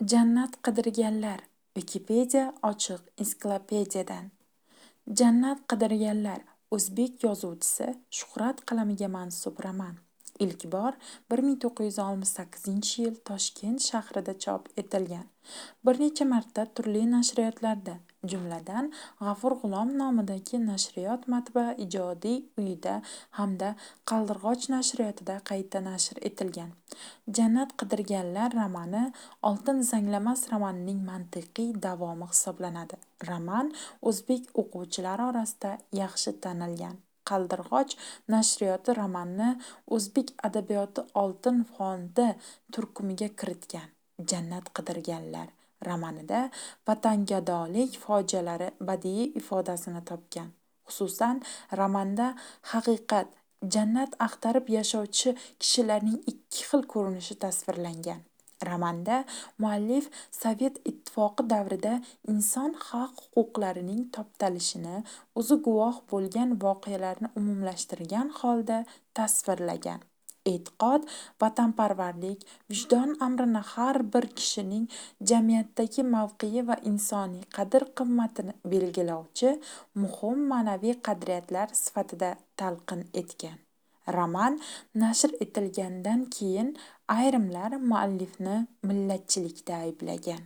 Jannat qidirganlar. Wikipedia ochiq ensiklopediyadan. Jannat qidirganlar o'zbek yozuvchisi Shuhrat qalamiga mansub roman. Ilk bor 1968-yil Toshkent shahrida chop etilgan. Bir necha marta turli nashriyotlarda, jumladan, G'afur G'ulom nomidagi nashriyot matbaa ijodiy uyida hamda Qaldirg'och nashriyotida qayta nashr etilgan. Jannat qidirganlar romani Oltin zanglamas romanining mantiqiy davomi hisoblanadi. Roman o'zbek o'quvchilari orasida yaxshi tanilgan. Qaldirg'och nashriyoti romanni o'zbek adabiyoti oltin fondi turkumiga kiritgan. Jannat qidirganlar romanida vatangadolik fojialari badiiy ifodasini topgan. Xususan, romanda haqiqat, jannat axtarib yashovchi kishilarning ikki xil ko'rinishi tasvirlangan. Romanda muallif Sovet ittifoqi davrida inson haq-huquqlarining toptalishini o'zi guvoh bo'lgan voqealarni umumlashtirgan holda tasvirlagan. E'tiqod, vatanparvarlik, vijdon amrini har bir kishining jamiyatdagi mavqei va insoniy qadr-qimmatini belgilovchi muhim ma'naviy qadriyatlar sifatida talqin etgan. Roman nashr etilganidan keyin ayrimlar muallifni millatchilikda ayblagan.